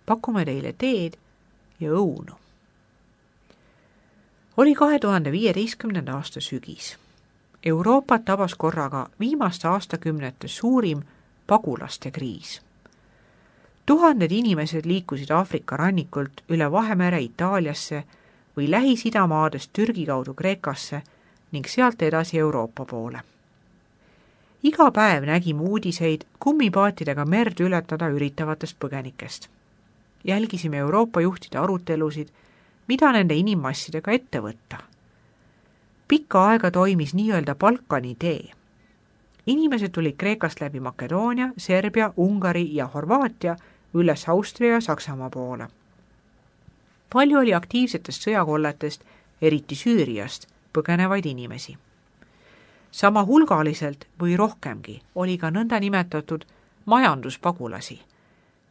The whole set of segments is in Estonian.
pakume teile teed ja õunu. Oli 2015. aasta sügis. Euroopat tabas korraga viimaste aastakümnete suurim pagulaste kriis. Tuhanded inimesed liikusid Aafrika rannikult üle Vahemere Itaaliasse või Lähis-Idamaadest Türgi kaudu Kreekasse ning sealt edasi Euroopa poole. Iga päev nägime uudiseid kummipaatidega merd ületada üritavatest põgenikest. Jälgisime Euroopa juhtide arutelusid, mida nende inimmassidega ette võtta. Pikka aega toimis nii-öelda Balkani tee. Inimesed tulid Kreekast läbi Makedoonia, Serbia, Ungari ja Horvaatia üles Austria ja Saksamaa poole. Palju oli aktiivsetest sõjakolletest, eriti Süüriast, põgenevaid inimesi. Sama hulgaliselt või rohkemgi oli ka nõnda nimetatud majanduspagulasi,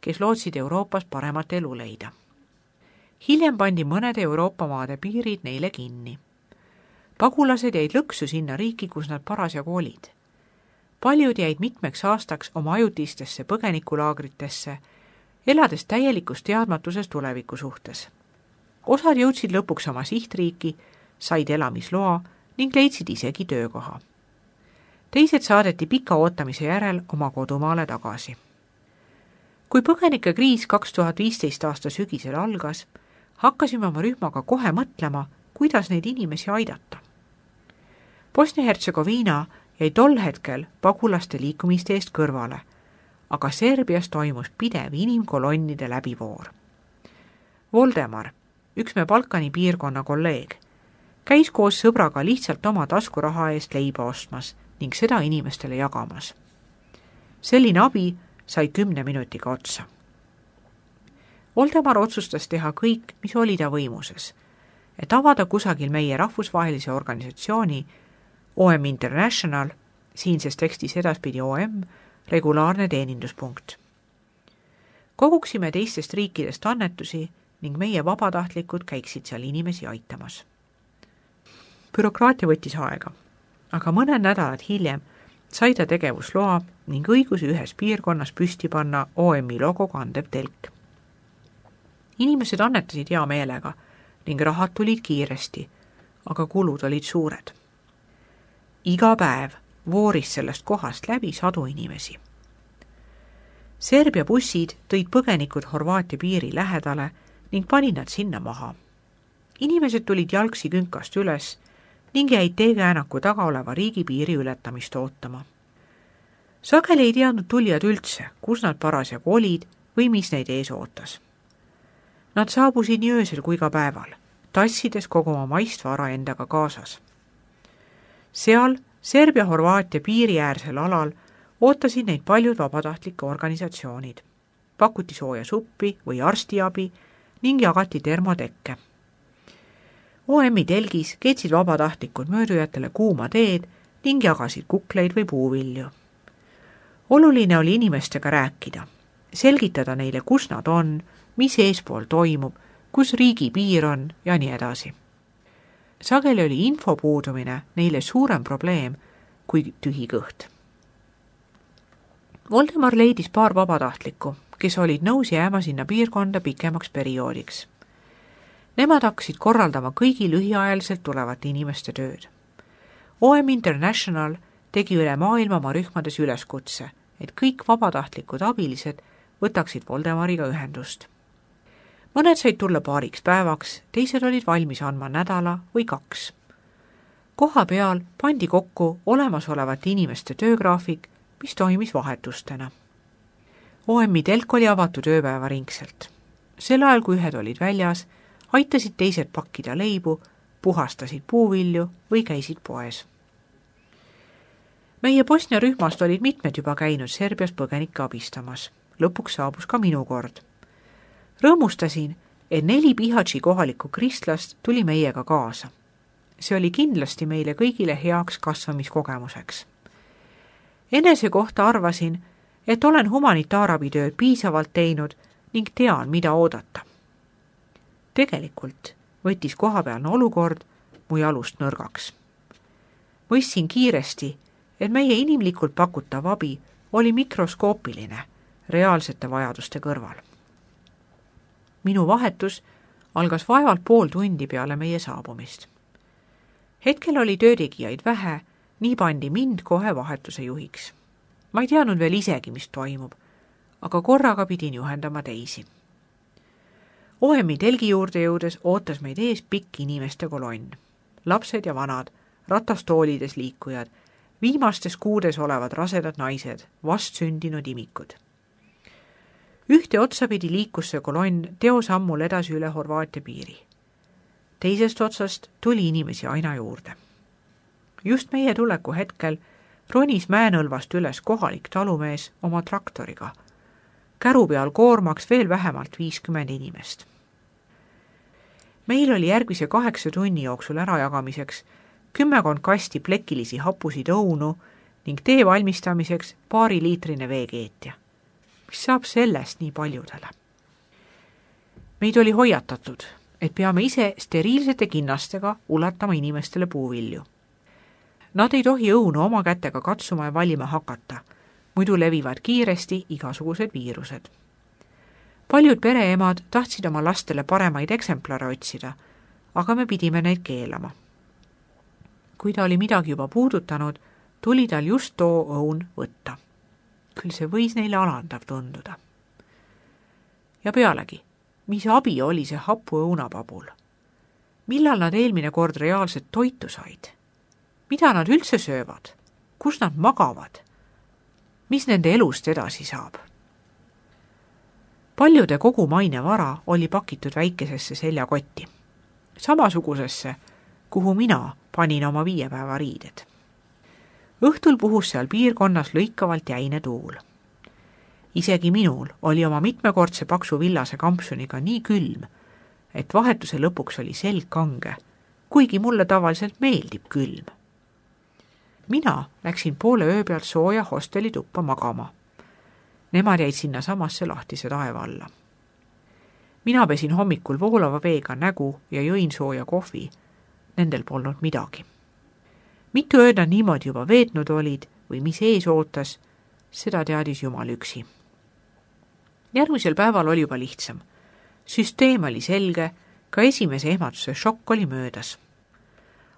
kes lootsid Euroopas paremat elu leida. Hiljem pandi mõnede Euroopa maade piirid neile kinni. Pagulased jäid lõksu sinna riiki, kus nad parasjagu olid. Paljud jäid mitmeks aastaks oma ajutistesse põgenikulaagritesse, elades täielikus teadmatuses tuleviku suhtes. Osad jõudsid lõpuks oma sihtriiki, said elamisloa ning leidsid isegi töökoha. Teised saadeti pika ootamise järel oma kodumaale tagasi. Kui põgenikekriis 2015 aasta sügisel algas, hakkasime oma rühmaga kohe mõtlema, kuidas neid inimesi aidata. Bosnia-Hertsegoviina jäi tol hetkel pagulaste liikumiste eest kõrvale, aga Serbias toimus pidev inimkolonnide läbivoor. Voldemar, üks me Balkani piirkonna kolleeg, käis koos sõbraga lihtsalt oma taskuraha eest leiba ostmas ning seda inimestele jagamas. Selline abi sai 10 minutiga otsa. Voldemar otsustas teha kõik, mis oli ta võimuses, et avada kusagil meie rahvusvahelise organisatsiooni OM International, siinses tekstis edaspidi OM, regulaarne teeninduspunkt. Koguksime teistest riikidest annetusi ning meie vabatahtlikud käiksid seal inimesi aitamas. Bürokraatia võttis aega, aga mõned nädalad hiljem sai ta tegevusloa ning õiguse ühes piirkonnas püsti panna OM-i logo kandev telk. Inimesed annetasid hea meelega ning rahad tulid kiiresti, aga kulud olid suured. Iga päev vooris sellest kohast läbi 100 inimesi. Serbia bussid tõid põgenikud Horvaatia piiri lähedale ning panid nad sinna maha. Inimesed tulid jalgsi künkast üles ning jäid teekäänaku taga oleva riigipiiri ületamist ootama. Sageli ei teadnud tulijad üldse, kus nad parasjagu olid või mis neid ees ootas. Nad saabusid nii öösel kui ka päeval, tassides kogu oma maist vara endaga kaasas. Seal Serbia-Horvaatia piiriäärsel alal ootasid neid paljud vabatahtlike organisatsioonid. Pakuti sooja suppi või arstiabi ning jagati termotekke. OM-i telgis keetsid vabatahtlikud möödujatele kuuma teed ning jagasid kukleid või puuvilju. Oluline oli inimestega rääkida, selgitada neile, kus nad on, mis eespool toimub, kus riigi piir on ja nii edasi. Sageli oli info puudumine neile suurem probleem kui tühi kõht. Voldemar leidis paar vabatahtlikku, kes olid nõus jääma sinna piirkonda pikemaks perioodiks. Nemad hakkasid korraldama kõigi lühiajaliselt tulevate inimeste tööd. OM International tegi üle maailma oma rühmades üleskutse, et kõik vabatahtlikud abilised võtaksid Voldemariga ühendust. Mõned said tulla paariks päevaks, teised olid valmis andma nädala või 2. Koha peal pandi kokku olemasolevate inimeste töögraafik, mis toimis vahetustena. OM-i telk oli avatud ööpäeva ringselt. Sel ajal, kui ühed olid väljas, aitasid teised pakkida leibu, puhastasid puuvilju või käisid poes. Meie Bosnia rühmast olid mitmed juba käinud Serbias põgenikke abistamas. Lõpuks saabus ka minu kord. Rõõmustasin, et 4 Bihaći kohalikku kristlast tuli meiega kaasa. See oli kindlasti meile kõigile heaks kasvamiskogemuseks. Enese kohta arvasin, et olen humanitaarabitööd piisavalt teinud ning tean, mida oodata. Tegelikult võttis kohapealne olukord mu jalust nõrgaks. Mõistsin kiiresti, et meie inimlikult pakutav abi oli mikroskoopiline reaalsete vajaduste kõrval. Minu vahetus algas vaevalt pool tundi peale meie saabumist. Hetkel oli töötegijaid vähe, nii pandi mind kohe vahetuse juhiks. Ma ei teadnud veel isegi, mis toimub, aga korraga pidin juhendama teisi. OM-i telgi juurde jõudes ootas meid ees pikk inimeste kolonn. Lapsed ja vanad, ratastoolides liikujad, viimastes kuudes olevad rasedad naised, vastsündinud imikud. Ühte otsapidi liikus see kolonn teosammul edasi üle Horvaatia piiri. Teisest otsast tuli inimesi aina juurde. Just meie tuleku hetkel ronis mäenõlvast üles kohalik talumees oma traktoriga. Käru peal koormaks veel vähemalt 50 inimest. Meil oli järgmise 8 tunni jooksul ärajagamiseks 10 kasti plekilisi hapusid õunu ning tee valmistamiseks 2-liitrine veekeetja. Mis saab sellest nii paljudele? Meid oli hoiatatud, et peame ise steriilsete kinnastega ulatama inimestele puuvilju. Nad ei tohi õunu oma kätega katsuma ja valima hakata, muidu levivad kiiresti igasugused viirused. Paljud pereemad tahtsid oma lastele paremaid eksemplare otsida, aga me pidime neid keelama. Kui ta oli midagi juba puudutanud, tuli tal just too õun võtta. Küll see võis neile alandav tunduda. Ja pealegi, mis abi oli see hapu õunapabul? Millal nad eelmine kord reaalset toitu said? Mida nad üldse söövad? Kus nad magavad? Mis nende elust edasi saab? Paljude kogu maine vara oli pakitud väikesesse seljakotti. Samasugusesse, kuhu mina panin oma 5 päeva riided. Õhtul puhus seal piirkonnas lõikavalt jäine tuul. Isegi minul oli oma mitmekordse paksu villase kampsuniga nii külm, et vahetuse lõpuks oli selg kange, kuigi mulle tavaliselt meeldib külm. Mina läksin poole öö pealt sooja hosteli tuppa magama. Nemad jäid sinna samasse lahtise taeva alla. Mina pesin hommikul voolava veega nägu ja jõin sooja kohvi. Nendel polnud midagi. Mitu ööd nad niimoodi juba veetnud olid või mis ees ootas, seda teadis Jumal üksi. Järgmisel päeval oli juba lihtsam. Süsteem oli selge, ka esimese ehmatuse šokk oli möödas.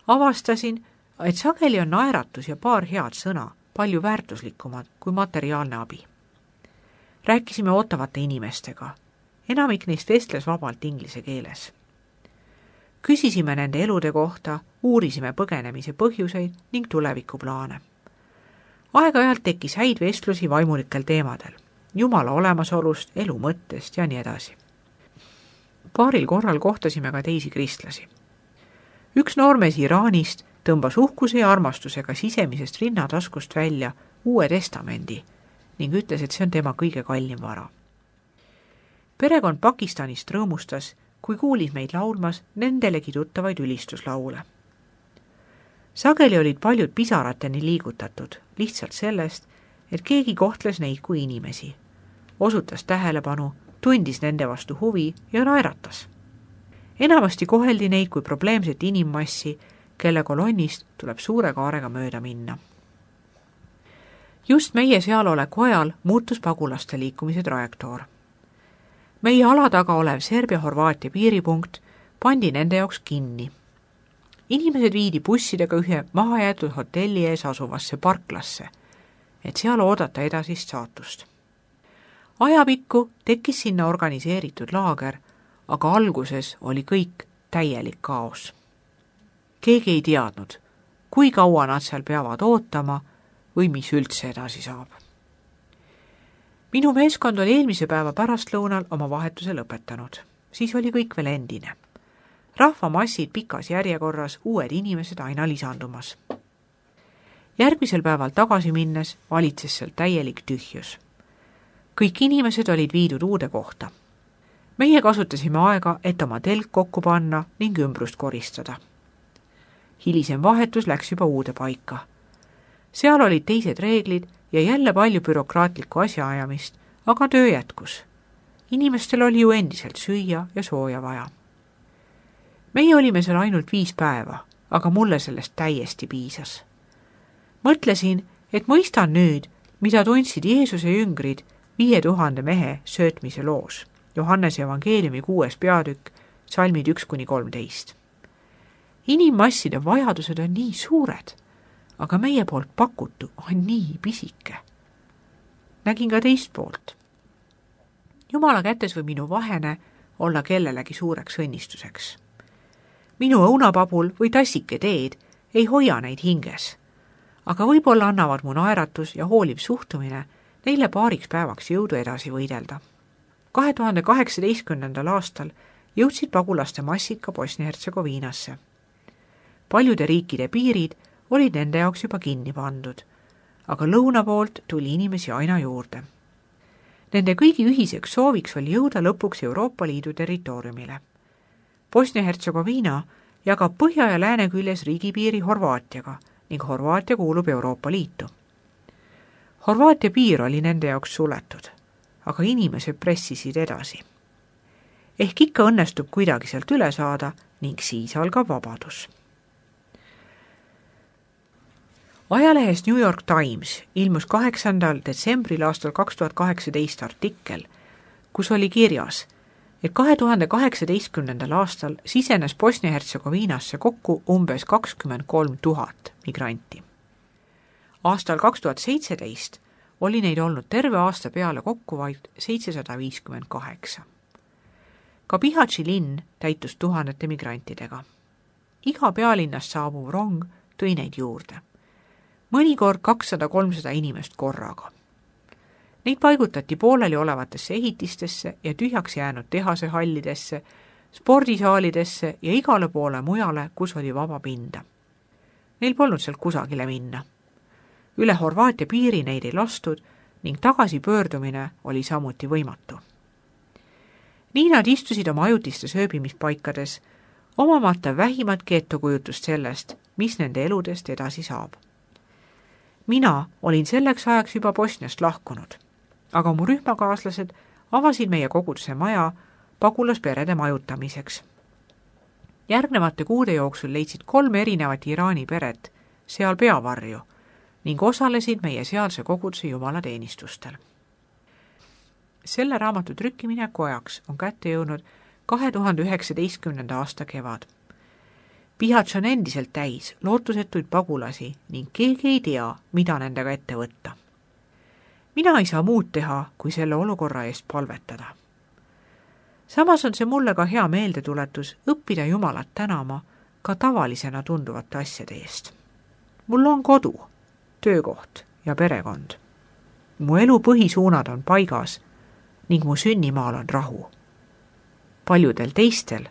Avastasin, et sageli on naeratus ja paar head sõna palju väärtuslikumad kui materiaalne abi. Rääkisime ootavate inimestega. Enamik neist vestles vabalt inglise keeles. Küsisime nende elude kohta, uurisime põgenemise põhjuseid ning tulevikuplaane. Aeg-ajalt tekkis häid vestlusi vaimulikel teemadel, Jumala olemasolust, elu mõttest ja nii edasi. Paaril korral kohtasime ka teisi kristlasi. Üks noormees Iraanist tõmbas uhkuse ja armastusega sisemisest rinnataskust välja Uue Testamendi ning ütles, et see on tema kõige kallim vara. Perekond Pakistanist rõõmustas, kui kuulis meid laulmas nendelegi tuttavaid ülistuslaule. Sageli olid paljud pisarateni liigutatud, lihtsalt sellest, et keegi kohtles neid kui inimesi, osutas tähelepanu, tundis nende vastu huvi ja naeratas. Enamasti koheldi neid kui probleemset inimmassi, kelle kolonnist tuleb suure kaarega mööda minna. Just meie sealoleku ajal muutus pagulaste liikumise trajektoor. Meie ala taga olev Serbia-Horvaatia piiripunkt pandi nende jaoks kinni. Inimesed viidi bussidega ühe mahajäetud hotelli ees asuvasse parklasse, et seal oodata edasist saatust. Ajapikku tekkis sinna organiseeritud laager, aga alguses oli kõik täielik kaos. Keegi ei teadnud, kui kaua nad seal peavad ootama või mis üldse edasi saab. Minu meeskond oli eelmise päeva pärastlõunal oma vahetuse lõpetanud. Siis oli kõik veel endine. Rahvamassid pikas järjekorras, uued inimesed aina lisandumas. Järgmisel päeval tagasi minnes valitses seal täielik tühjus. Kõik inimesed olid viidud uude kohta. Meie kasutasime aega, et oma telk kokku panna ning ümbrust koristada. Hilisem vahetus läks juba uude paika. Seal olid teised reeglid ja jälle palju bürokraatlikku asjaajamist, aga töö jätkus. Inimestel oli ju endiselt süüa ja sooja vaja. Meie olime seal ainult 5 päeva, aga mulle sellest täiesti piisas. Mõtlesin, et mõistan nüüd, mida tundsid Jeesuse jüngrid 5000 mehe söötmise loos. Johannese evangeeliumi 6. peatükk, salmid 1-13. Inimmasside vajadused on nii suured, aga meie poolt pakutu on nii pisike. Nägin ka teist poolt. Jumala kätes võib minu vahene olla kellelegi suureks õnnistuseks. Minu õunapabul või tassike teed ei hoia neid hinges, aga võib-olla annavad mu naeratus ja hooliv suhtumine neile paariks päevaks jõudu edasi võidelda. 2018. aastal jõudsid pagulaste massid ka Bosnia-Hertsegoviinasse. Paljude riikide piirid olid nende jaoks juba kinni pandud, aga lõuna poolt tuli inimesi aina juurde. Nende kõigi ühiseks sooviks oli jõuda lõpuks Euroopa Liidu territooriumile. Bosnia-Hertsegoviina jagab põhja ja lääne küljes riigipiiri Horvaatiaga ning Horvaatia kuulub Euroopa Liitu. Horvaatia piir oli nende jaoks suletud, aga inimesed pressisid edasi. Ehk ikka õnnestub kuidagi sealt üle saada ning siis algab vabadus. Ajalehes New York Times ilmus 8. detsembril aastal 2018 artikkel, kus oli kirjas, et 2018. aastal sisenes Bosnia-Hertsegoviinasse kokku umbes 23 000 migranti. Aastal 2017 oli neid olnud terve aasta peale kokku vaid 758. Ka Bihaći linn täitus tuhandete migrantidega. Iga pealinnast saabuv rong tõi neid juurde. Mõnikord 200-300 inimest korraga. Neid paigutati pooleli olevatesse ehitistesse ja tühjaks jäänud tehasehallidesse, spordisaalidesse ja igale poole mujale, kus oli vaba pinda. Neil polnud sealt kusagile minna. Üle Horvaatia piiri neid ei lastud ning tagasipöördumine oli samuti võimatu. Nii nad istusid oma ajutistes ööbimispaikades, omamata vähimatki ettekujutust sellest, mis nende eludest edasi saab. Mina olin selleks ajaks juba Bosniast lahkunud, aga mu rühmakaaslased avasid meie koguduse maja pagulasperede majutamiseks. Järgnevate kuude jooksul leidsid 3 erinevat Iraani peret seal peavarju ning osalesid meie sealse koguduse jumalateenistustel. Selle raamatu trükkimineku ajaks on kätte jõudnud 2019. aasta kevad. Bihaći on endiselt täis lootusetuid pagulasi ning keegi ei tea, mida nendega ette võtta. Mina ei saa muud teha, kui selle olukorra eest palvetada. Samas on see mulle ka hea meeldetuletus õppida Jumalat tänama ka tavalisena tunduvate asjade eest. Mul on kodu, töökoht ja perekond. Mu elu põhisuunad on paigas ning mu sünnimaal on rahu. Paljudel teistel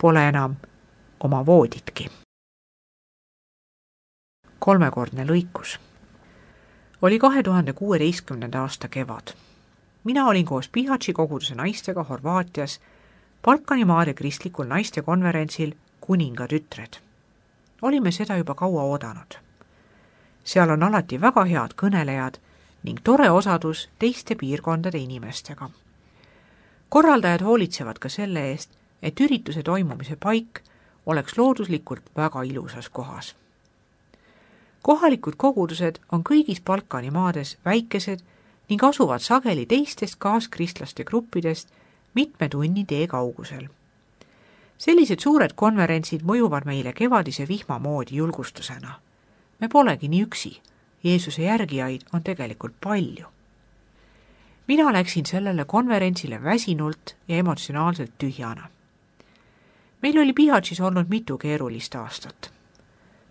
pole enam oma vooditki. 3. lõikus. Oli 2016. aasta kevad. Mina olin koos Bihaći koguduse naistega Horvaatias Balkanimaade kristlikul naistekonverentsil Kuninga tütred. Olime seda juba kaua oodanud. Seal on alati väga head kõnelejad ning tore osadus teiste piirkondade inimestega. Korraldajad hoolitsevad ka selle eest, et ürituse toimumise paik oleks looduslikult väga ilusas kohas. Kohalikud kogudused on kõigis Balkani maades väikesed ning asuvad sageli teistest kaaskristlaste gruppidest mitme tunni tee kaugusel. Sellised suured konverentsid mõjuvad meile kevadise vihma moodi julgustusena. Me polegi nii üksi, Jeesuse järgijaid on tegelikult palju. Mina läksin sellele konverentsile väsinult ja emotsionaalselt tühjana. Meil oli Bihaćis olnud mitu keerulist aastat.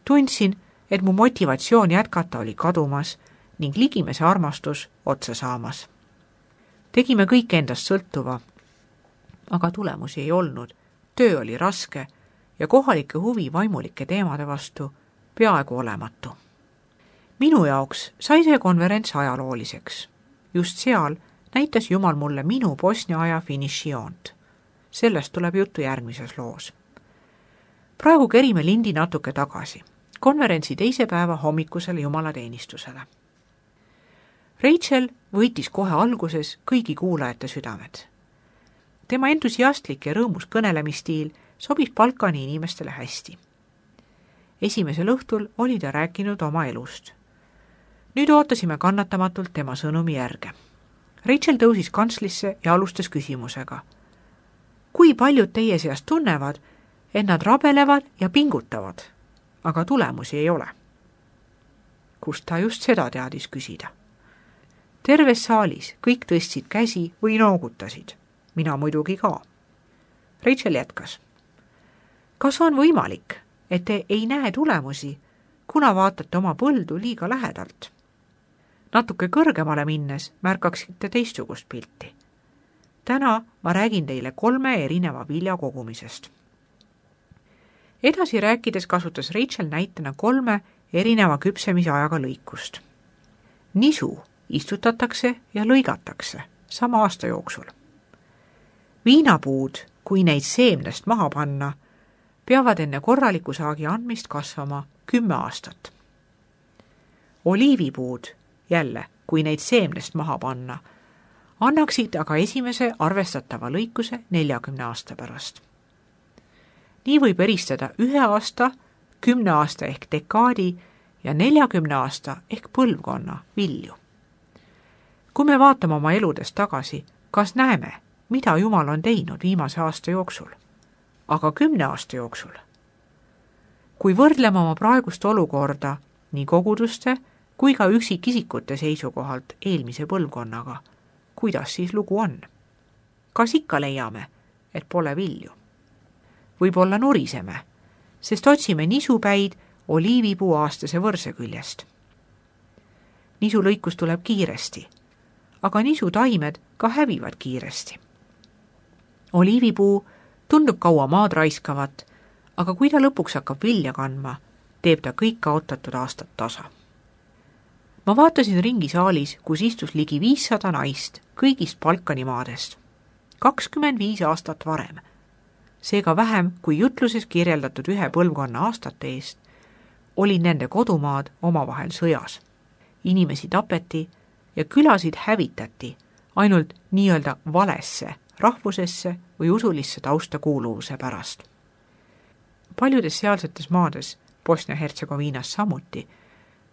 Tundsin, et mu motivatsioon jätkata oli kadumas ning ligimese armastus otsa saamas. Tegime kõik endast sõltuva, aga tulemusi ei olnud, töö oli raske ja kohalike huvi vaimulike teemade vastu peaaegu olematu. Minu jaoks sai see konverents ajalooliseks. Just seal näitas Jumal mulle minu Bosnia aja finišijoont. Sellest tuleb juttu järgmises loos. Praegu kerime lindi natuke tagasi, konverentsi teise päeva hommikusele jumalateenistusele. Rachel võitis kohe alguses kõigi kuulajate südamed. Tema entusiastlik ja rõõmus kõnelemistiil sobis Balkani inimestele hästi. Esimesel õhtul oli ta rääkinud oma elust. Nüüd ootasime kannatamatult tema sõnumi järge. Rachel tõusis kantslisse ja alustas küsimusega. Kui paljud teie seast tunnevad, et nad rabelevad ja pingutavad, aga tulemusi ei ole? Kust ta just seda teadis küsida? Terves saalis kõik tõstsid käsi või noogutasid. Mina muidugi ka. Rachel jätkas. Kas on võimalik, et te ei näe tulemusi, kuna vaatate oma põldu liiga lähedalt? Natuke kõrgemale minnes märkaksite teistsugust pilti. Täna ma räägin teile 3 erineva vilja kogumisest. Edasi rääkides kasutas Rachel näitena 3 erineva küpsemise ajaga lõikust. Nisu istutatakse ja lõigatakse sama aasta jooksul. Viinapuud, kui neid seemnest maha panna, peavad enne korraliku saagi andmist kasvama 10 aastat. Oliivipuud, jälle, kui neid seemnest maha panna, annaksid aga esimese arvestatava lõikuse 40 aasta pärast. Nii võib eristada 1 aasta, 10 aasta ehk dekaadi ja 40 aasta ehk põlvkonna vilju. Kui me vaatame oma eludest tagasi, kas näeme, mida Jumal on teinud viimase aasta jooksul, aga 10 aasta jooksul? Kui võrdleme oma praegust olukorda nii koguduste kui ka üksikisikute seisukohalt eelmise põlvkonnaga, kuidas siis lugu on? Kas ikka leiame, et pole vilju? Võib-olla nuriseme, sest otsime nisupäid oliivipuu aastase võrse küljest. Nisulõikus tuleb kiiresti, aga nisutaimed ka hävivad kiiresti. Oliivipuu tundub kaua maad raiskavat, aga kui ta lõpuks hakkab vilja kandma, teeb ta kõik kaotatud aastat tasa. Ma vaatasin ringi saalis, kus istus ligi 500 naist kõigist Balkani maadest. 25 aastat varem. Seega vähem kui jutluses kirjeldatud 1 põlvkonna aastate eest, olid nende kodumaad omavahel sõjas. Inimesi tapeti ja külasid hävitati ainult nii-öelda valesse, rahvusesse või usulisse tausta kuuluvuse pärast. Paljudes sealsetes maades, Bosnia-Hertsegoviinas samuti,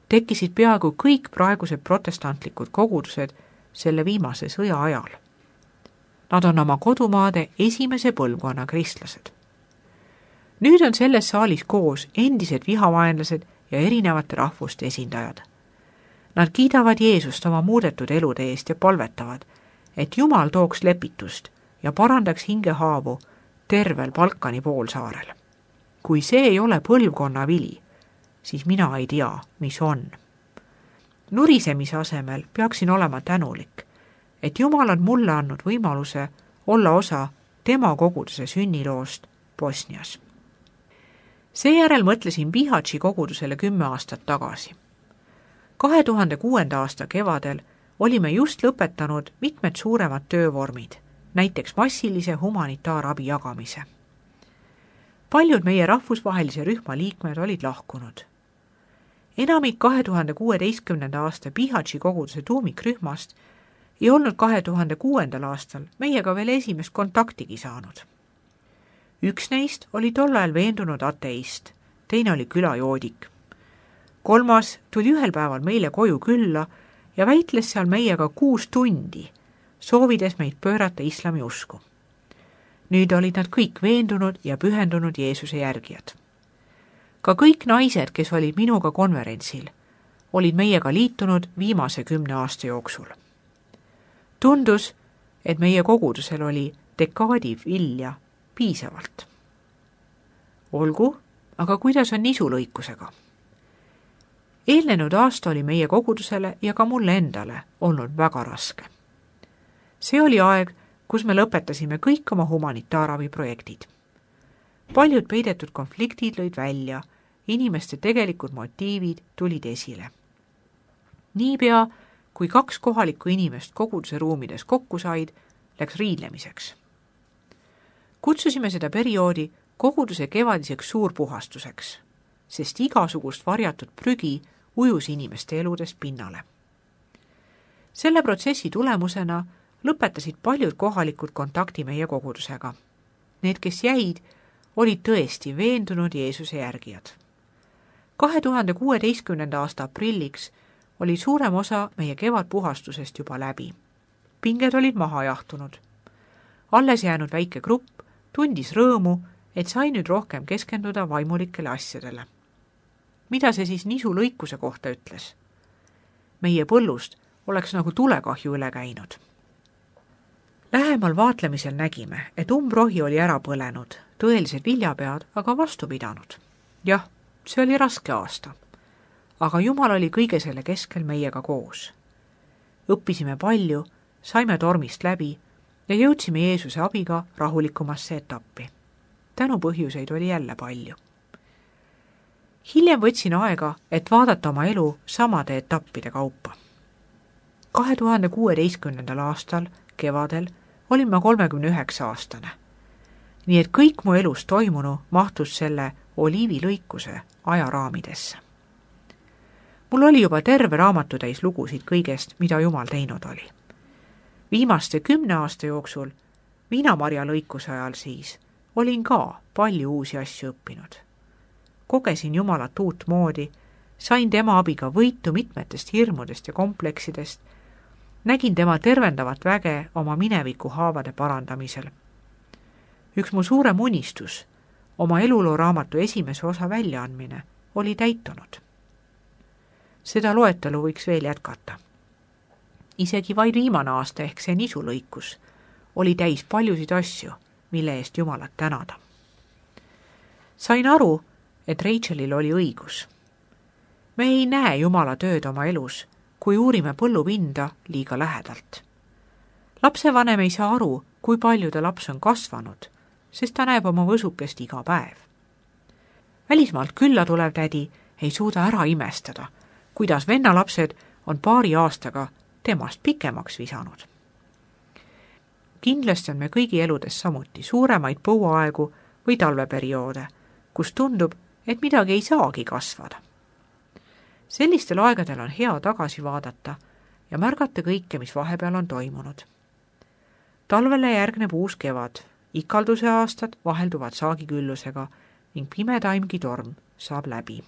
tekkisid peaaegu kõik praegused protestantlikud kogudused selle viimase sõja ajal. Nad on oma kodumaade esimese põlvkonna kristlased. Nüüd on selles saalis koos endised vihavaenlased ja erinevate rahvuste esindajad. Nad kiidavad Jeesust oma muudetud elude eest ja palvetavad, et Jumal tooks lepitust ja parandaks hingehaavu tervel Balkani poolsaarel. Kui see ei ole põlvkonna vili, siis mina ei tea, mis on. Nurisemise asemel peaksin olema tänulik, et Jumal on mulle andnud võimaluse olla osa tema koguduse sünniloost Bosnias. Seejärel mõtlesin Bihaći kogudusele 10 aastat tagasi. 2006. aasta kevadel olime just lõpetanud mitmed suuremad töövormid, näiteks massilise humanitaarabi jagamise. Paljud meie rahvusvahelise rühma liikmed olid lahkunud. Enamik 2016. aasta Bihaći koguduse tuumikrühmast ei olnud 2006. aastal meiega veel esimest kontaktigi saanud. Üks neist oli tol ajal veendunud ateist, teine oli külajoodik. 3. tuli ühel päeval meile koju külla ja väitles seal meiega 6 tundi, soovides meid pöörata islami usku. Nüüd olid nad kõik veendunud ja pühendunud Jeesuse järgijad. Ka kõik naised, kes olid minuga konverentsil, olid meiega liitunud viimase 10 aasta jooksul. Tundus, et meie kogudusel oli dekaadi vilja piisavalt. Olgu, aga kuidas on nisulõikusega? Eelnenud aasta oli meie kogudusele ja ka mulle endale olnud väga raske. See oli aeg, kus me lõpetasime kõik oma humanitaarabiprojektid. Paljud peidetud konfliktid lõid välja, inimeste tegelikud motiivid tulid esile. Niipea, kui 2 kohalikku inimest koguduse ruumides kokku said, läks riidlemiseks. Kutsusime seda perioodi koguduse kevadiseks suurpuhastuseks, sest igasugust varjatud prügi ujus inimeste eludest pinnale. Selle protsessi tulemusena lõpetasid paljud kohalikud kontakti meie kogudusega. Need, kes jäid, olid tõesti veendunud Jeesuse järgijad. 2016. aasta aprilliks oli suurem osa meie kevadpuhastusest juba läbi. pinged olid maha jahtunud. Alles jäänud väike grupp tundis rõõmu, et sai nüüd rohkem keskenduda vaimulikele asjadele. Mida see siis nisu lõikuse kohta ütles? Meie põllust oleks nagu tulekahju üle käinud. Lähemal vaatlemisel nägime, et umbrohi oli ära põlenud, tõelised viljapead aga vastu pidanud. Jah, see oli raske aasta, aga Jumal oli kõige selle keskel meiega koos. Õppisime palju, saime tormist läbi ja jõudsime Jeesuse abiga rahulikumasse etappi. Tänupõhjuseid oli jälle palju. Hiljem võtsin aega, et vaadata oma elu samade etappide kaupa. 2016. aastal kevadel olin ma 39-aastane. Nii et kõik mu elus toimunu mahtus selle oliivilõikuse ajaraamidesse. Mul oli juba terve raamatutäis lugusid kõigest, mida Jumal teinud oli. Viimaste 10 aasta jooksul, viinamarja lõikuse ajal siis, olin ka palju uusi asju õppinud. Kogesin Jumalat uut moodi, sain tema abiga võitu mitmetest hirmudest ja kompleksidest, nägin tema tervendavat väge oma mineviku haavade parandamisel. Üks mu suurem unistus, oma eluloo raamatu esimese osa väljaandmine, oli täitunud. Seda loetelu võiks veel jätkata. Isegi vaid viimane aasta ehk see nisulõikus oli täis paljusid asju, mille eest Jumalat tänada. Sain aru, et Rachelil oli õigus. Me ei näe Jumala tööd oma elus, kui uurime põllupinda liiga lähedalt. Lapsevanem ei saa aru, kui palju ta laps on kasvanud, sest ta näeb oma võsukest iga päev. Välismaalt külla tulev tädi ei suuda ära imestada, kuidas vennalapsed on paari aastaga temast pikemaks visanud. Kindlasti on me kõigi eludes samuti suuremaid põuaegu või talveperioode, kus tundub, et midagi ei saagi kasvada. Sellistel aegadel on hea tagasi vaadata ja märgata kõike, mis vahepeal on toimunud. Talvele järgneb uus kevad, ikalduse aastad vahelduvad saagiküllusega ning pimetaimgi torm saab läbi.